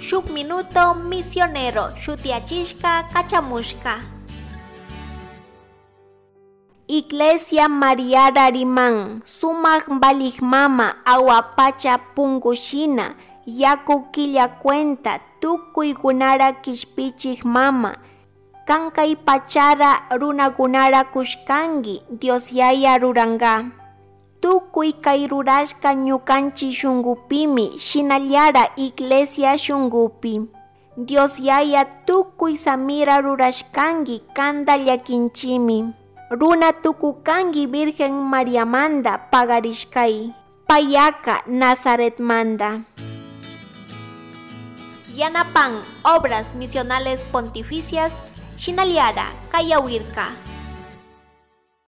Shuk Minuto Misionero shutiyachishka kachamushka. Iglesia Mariara riman, sumak valik mama awa pacha punkushina, yaku killa cuenta, tukuykunara kishpichik mama, kan kay pachara runakunara kushkanki, Dios Yaya ruranka. Tukuy kay rurashka ñukanchik shunkupimi, shinallara iglesia shunkupi. Dios Yaya tukuy samira rurashkanki kanta llakinchimi. Runa tukukanki Virgen Mariamanta pagarishkay, payaka Nazaretmanta. Yanapan Obras Misionales Pontificias, Shinallara, Kayawirka.